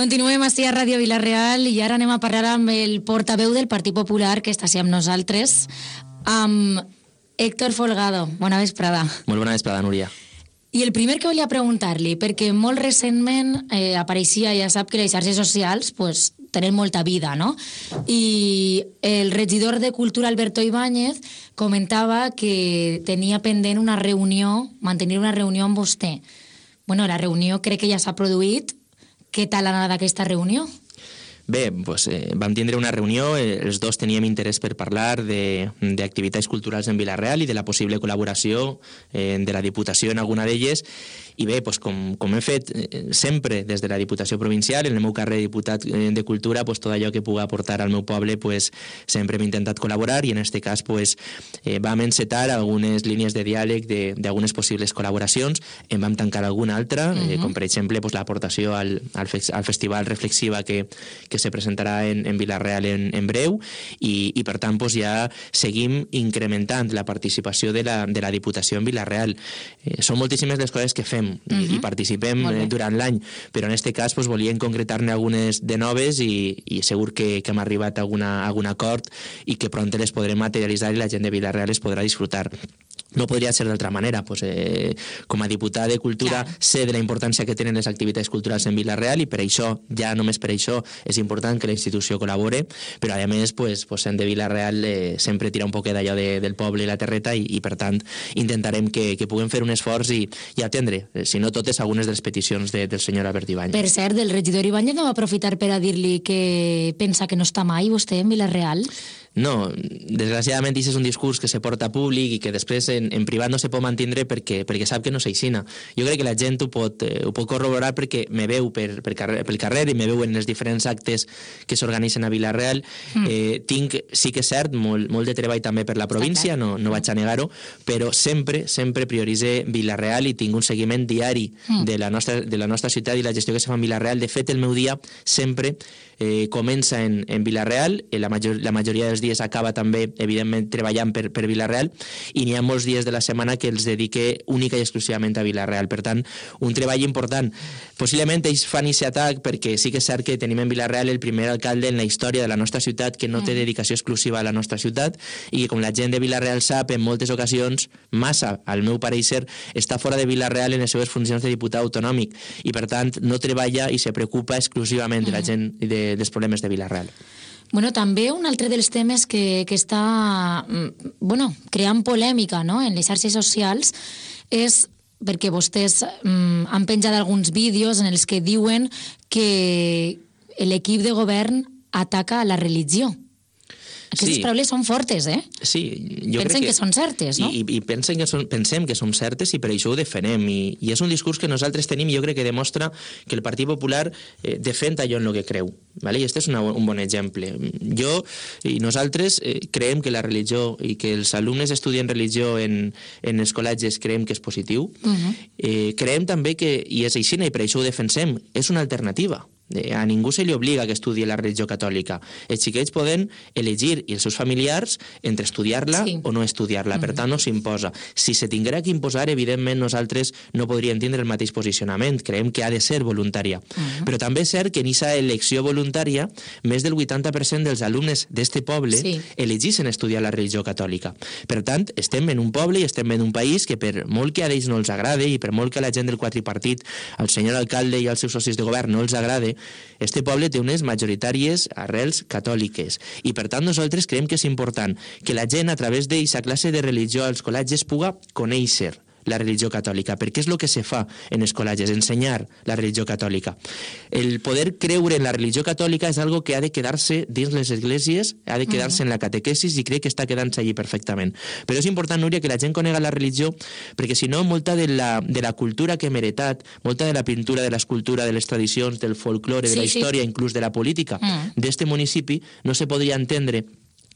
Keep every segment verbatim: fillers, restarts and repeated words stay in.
Continuem així a Ràdio Vila-real i ara anem a parlar amb el portaveu del Partit Popular que està així amb nosaltres, amb Héctor Folgado. Bona vesprada. Molt bona vesprada, Núria. I el primer que volia preguntar-li, perquè molt recentment eh, apareixia, ja sap que les xarxes socials pues, tenen molta vida, no? I el regidor de Cultura, Alberto Ibáñez, comentava que tenia pendent una reunió, mantenir una reunió amb vostè. Bueno, la reunió crec que ja s'ha produït. Què tal ha anat aquesta reunió? Bé, doncs, eh, vam tindre una reunió, eh, els dos teníem interès per parlar d'activitats culturals en Vila-real i de la possible col·laboració eh, de la Diputació en alguna d'elles. I bé, doncs, com, com hem fet eh, sempre des de la Diputació Provincial, en el meu carrer de diputat eh, de Cultura, doncs, tot allò que pugui aportar al meu poble, doncs, sempre hem intentat col·laborar i en aquest cas doncs, eh, vam encetar algunes línies de diàleg d'algunes possibles col·laboracions, en vam tancar alguna altra, uh -huh. eh, com per exemple doncs, l'aportació al, al, fe al Festival Reflexiva que, que se presentarà en, en Vila-real en, en breu i, i per tant doncs, ja seguim incrementant la participació de la, de la Diputació en Vila-real. Eh, són moltíssimes les coses que fem uh -huh. i, i participem eh, durant l'any, però en aquest cas doncs, volíem concretar-ne algunes de noves i, i segur que, que hem arribat a, alguna, a algun acord i que pront les podrem materialitzar i la gent de Vila-real les podrà disfrutar. No podria ser d'altra manera. Pues, eh, com a diputat de Cultura claro. sé de la importància que tenen les activitats culturals en Vila-real i per això, ja només per això, és important que la institució col·labore, però a més, pues, pues, sent de Vila-real eh, sempre tira un poquet d'allò de, del poble i la terreta i, i per tant intentarem que, que puguem fer un esforç i, i atendre, eh, si no totes, algunes de les peticions de, del senyor Albert Ibáñez. Per cert, el regidor Ibáñez no va aprofitar per a dir-li que pensa que no està mai vostè en Vila-real? No, desgraciadament això és un discurs que se porta públic i que després en, en privat no se pot mantindre perquè, perquè sap que no s'aixina. Jo crec que la gent ho pot, eh, ho pot corroborar perquè me veu per, per carrer, pel carrer i me veu en els diferents actes que s'organitzen a Vila-real. Mm. Eh, tinc, sí que és cert, molt, molt de treball també per la província, no, no vaig a negar-ho, però sempre, sempre prioritze Vila-real i tinc un seguiment diari mm. de, la nostra, de la nostra ciutat i la gestió que se fa en Vila-real. De fet, el meu dia sempre eh, comença en, en Vila-real, la, major, la majoria dels dies acaba també, evidentment, treballant per, per Vila-real i n'hi ha molts dies de la setmana que els dedique única i exclusivament a Vila-real. Per tant, un treball important. Possiblement ells fan aquest atac perquè sí que és cert que tenim en Vila-real el primer alcalde en la història de la nostra ciutat que no té dedicació exclusiva a la nostra ciutat i que, com la gent de Vila-real sap, en moltes ocasions, massa, al meu pareixer, està fora de Vila-real en les seves funcions de diputat autonòmic i, per tant, no treballa i se preocupa exclusivament de la gent i de, dels problemes de Vila-real. Bueno, també un altre dels temes que, que està bueno, creant polèmica, no?, en les xarxes socials és perquè vostès mm, han penjat alguns vídeos en els que diuen que l'equip de govern ataca a la religió. Aquestes sí. paraules són fortes, eh? Sí, jo Pensen crec que, que són certes, no? I, i pensen que són, pensem que són certes i per això ho defenem. I, i és un discurs que nosaltres tenim i jo crec que demostra que el Partit Popular eh, defèn allò en el que creu. ¿Vale? I aquest és una, un bon exemple. Jo i nosaltres eh, creiem que la religió i que els alumnes estudien religió en, en els col·legis creiem que és positiu. Uh-huh. eh, creiem també que, i és així, i per això ho defensem, és una alternativa. A ningú se li obliga que estudi la religió catòlica. Els xiquets poden elegir, i els seus familiars, entre estudiar-la sí. o no estudiar-la. Per tant, no s'imposa. Si se tinguera que imposar, evidentment, nosaltres no podríem tindre el mateix posicionament. Creiem que ha de ser voluntària. Uh-huh. Però també és cert que en aquesta elecció voluntària, més del vuitanta per cent dels alumnes d'este poble sí. elegissin estudiar la religió catòlica. Per tant, estem en un poble i estem en un país que, per molt que a ells no els agrade i per molt que a la gent del quadripartit, al senyor alcalde i als seus socis de govern no els agrade, este poble té unes majoritàries arrels catòliques i per tant nosaltres creiem que és important que la gent a través d'aquesta classe de religió als col·legis puga conèixer la religió catòlica, perquè és el que se fa en els col·legis, ensenyar la religió catòlica. El poder creure en la religió catòlica és algo que ha de quedar-se dins les esglésies, ha de quedar-se uh-huh. en la catequesis i crec que està quedant-se allí perfectament. Però és important, Núria, que la gent conega la religió perquè si no, molta de la, de la cultura que hem heretat, molta de la pintura, de l'escultura, de les tradicions, del folklore, de sí, la història, sí. inclús de la política uh-huh. d'este municipi, no se podria entendre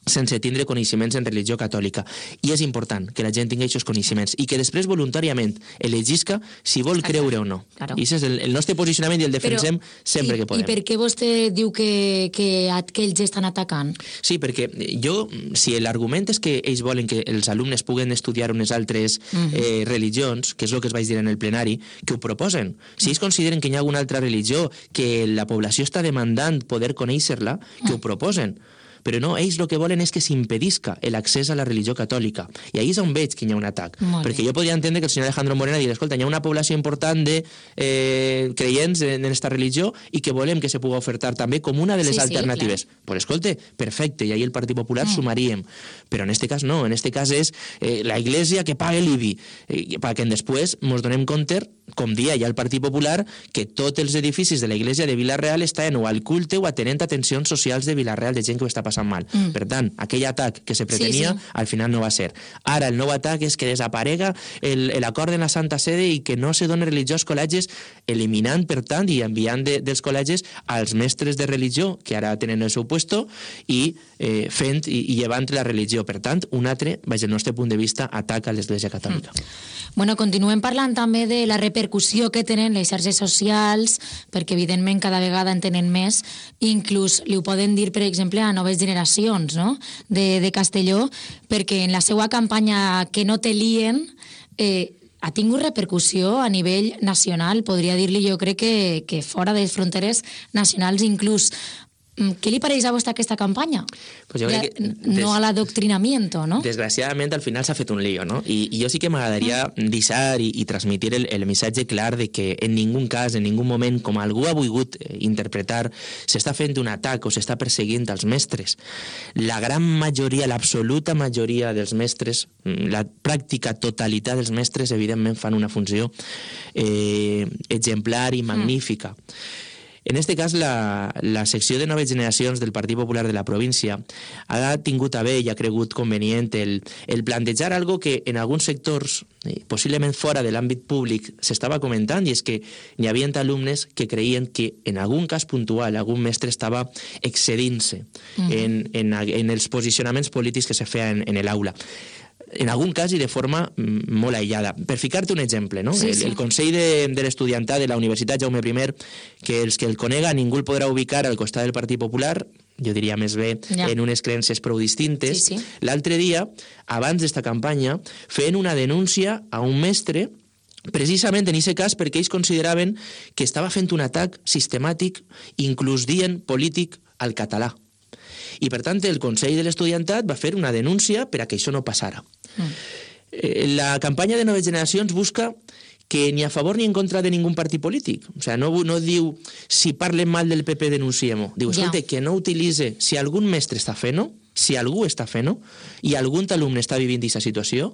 sense tindre coneixements en religió catòlica. I és important que la gent tingui aquests coneixements i que després voluntàriament elegisca si vol Exacte. creure o no. Claro. I aquest és el, el nostre posicionament i el defensem Però, sempre i, que podem. I per què vostè diu que, que, que ells estan atacant? Sí, perquè jo, si l'argument és que ells volen que els alumnes puguen estudiar unes altres uh-huh. eh, religions, que és el que es vaig dir en el plenari, que ho proposen. Si ells consideren que hi ha alguna altra religió que la població està demandant poder conèixer-la, que uh-huh. ho proposen. Però no, ells el que volen és que s'impedisca l'accés a la religió catòlica. I ahí és on veig que hi ha un atac. Molt perquè bé. jo podria entendre que el senyor Alejandro Morena digui, escolta, hi ha una població important de eh, creients en aquesta religió i que volem que se pugui ofertar també com una de les Sí, sí, alternatives. clar. Pues escolta, perfecte, i ahí el Partit Popular mm. sumaríem. Però en este cas no, en este cas és eh, la Iglesia que pague l'I B I, eh, perquè després ens donem compte, com dia ja el Partit Popular, que tots els edificis de la Iglesia de Vila-real estaven o al culte o atenent atencions socials de Vila-real, de gent que ho està passant mal. Mm. Per tant, aquell atac que se pretenia, sí, sí. al final no va ser. Ara, el nou atac és que desaparega l'acord de la Santa Sede i que no se doni religió als col·legis, eliminant, per tant, i enviant de, dels col·legis als mestres de religió, que ara tenen el seu puesto, i eh, fent i, i llevant la religió. Per tant, un altre, vaig del nostre punt de vista, atac a l'Església Catòlica. Mm. Bueno, continuem parlant també de la repercussió que tenen les xarxes socials, perquè evidentment cada vegada en tenen més, inclús li ho poden dir, per exemple, a noves generacions, no?, de, de Castelló, perquè en la seva campanya Que no te lien eh, ha tingut repercussió a nivell nacional, podria dir-li jo crec que, que fora de les fronteres nacionals inclús. Què li pareix a vostè aquesta campanya? Pues jo crec que des... No a l'adoctrinamiento, no? Desgraciadament, al final s'ha fet un lío, no? I, i jo sí que m'agradaria mm. deixar i, i transmitir el, el missatge clar de que en ningú cas, en ningú moment, com algú ha volgut interpretar, s'està fent un atac o s'està perseguint als mestres. La gran majoria, l'absoluta majoria dels mestres, la pràctica totalitat dels mestres, evidentment, fan una funció eh, exemplar i magnífica. Mm. En aquest cas, la, la secció de noves generacions del Partit Popular de la província ha tingut a bé i ha cregut convenient el, el plantejar algo que en alguns sectors, possiblement fora de l'àmbit públic, s'estava comentant, i és que hi havia alumnes que creien que en algun cas puntual algun mestre estava excedint-se uh-huh. en, en, en els posicionaments polítics que se feien en l'aula. En algun cas i de forma molt aïllada. Per ficar-te un exemple, no? Sí, sí. El, el Consell de, de l'Estudiantat de la Universitat Jaume I, que els que el conega ningú el podrà ubicar al costat del Partit Popular, jo diria més bé ja. en unes creences prou distintes, sí, sí. l'altre dia, abans d'esta campanya, feien una denúncia a un mestre precisament en aquest cas perquè ells consideraven que estava fent un atac sistemàtic, inclús dient polític, al català. I, per tant, el Consell de l'Estudiantat va fer una denúncia per a que això no passara. Mm. La campanya de Noves Generacions busca que ni a favor ni en contra de ningú partit polític. O sigui, no, no diu si parlem mal del P P denunciem-ho. Diu, escolta, ja. que no utilitze, si algun mestre està fent-ho, si algú està fent-ho, i algun alumne està vivint aquesta situació,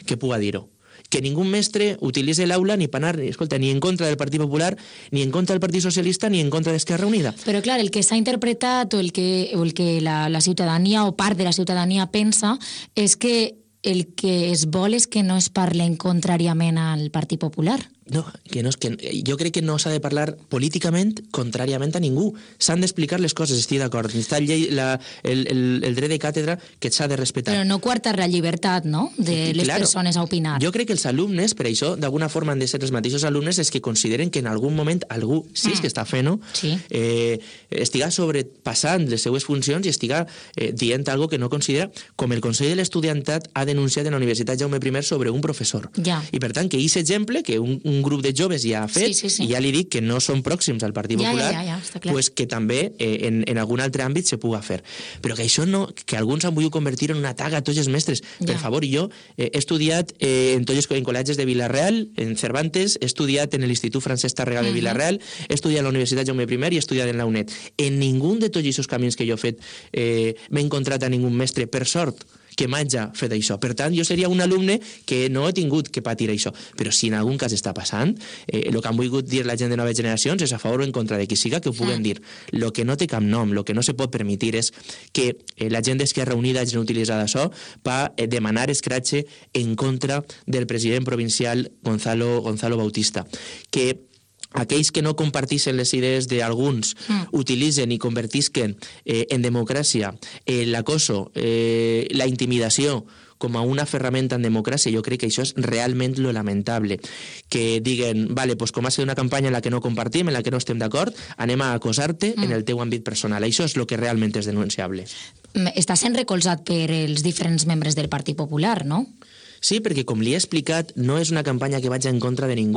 que puga dir-ho. Que ningú mestre utilitzi l'aula ni per anar, escolta, ni en contra del Partit Popular, ni en contra del Partit Socialista, ni en contra d'Esquerra Unida. Però, clar, el que s'ha interpretat o el que, o el que la, la ciutadania o part de la ciutadania pensa és que el que es vol és que no es parlen contràriament al Partit Popular. No, que no, que jo crec que no s'ha de parlar políticament contràriament a ningú. S'han d'explicar les coses, estic d'acord. Està el, la, el, el, el dret de càtedra que s'ha de respectar. Però no coartar la llibertat, no?, de les claro, persones a opinar. Jo crec que els alumnes, per això, d'alguna forma han de ser els mateixos alumnes els que consideren que en algun moment algú, si és que està fent-ho, sí. eh, estiga sobrepassant les seues funcions i estiga eh, dient algo que no considera, com el Consell de l'Estudiantat ha denunciat en la Universitat Jaume I sobre un professor. Ja. I, per tant, que aquest exemple, que un, un un grup de joves ja ha fet, sí, sí, sí. i ja li dic que no són pròxims al Partit ja, Popular, ja, ja, ja, pues que també eh, en, en algun altre àmbit se puga fer. Però que això no, que alguns han volgut convertir en un atac a tots els mestres. Ja. Per favor, jo eh, he estudiat eh, en tots els col·legis de Vila-real, en Cervantes, he estudiat en l'Institut Francesc Tàrrega de Vila-real, he estudiat a la Universitat Jaume I i he estudiat en la UNED. En ningú de tots aquests camins que jo he fet eh, m'he encontrat a ningú mestre, per sort, que m'hagi fet això. Per tant, jo seria un alumne que no he tingut que patir això. Però si en algun cas està passant, eh, el que han volgut dir la gent de noves generacions és a favor o en contra de qui siga que ho puguen dir. El que no té cap nom, el que no se pot permetir és que eh, la gent d'Esquerra Unida hagi utilitzat això per eh, demanar escratxe en contra del president provincial Gonzalo, Gonzalo Bautista. Que aquells que no compartissin les idees d'alguns mm. utilitzen i convertisquen eh, en democràcia eh, l'acoso, eh, la intimidació com a una ferramenta en democràcia, jo crec que això és realment lo lamentable. Que diguen, vale, pues com ha sigut una campanya en la que no compartim, en la que no estem d'acord, anem a acosar-te mm. en el teu àmbit personal. Això és el que realment és denunciable. Està sent recolzat per els diferents membres del Partit Popular, no? Sí, perquè com li he explicat, no és una campanya que vaig en contra de ningú.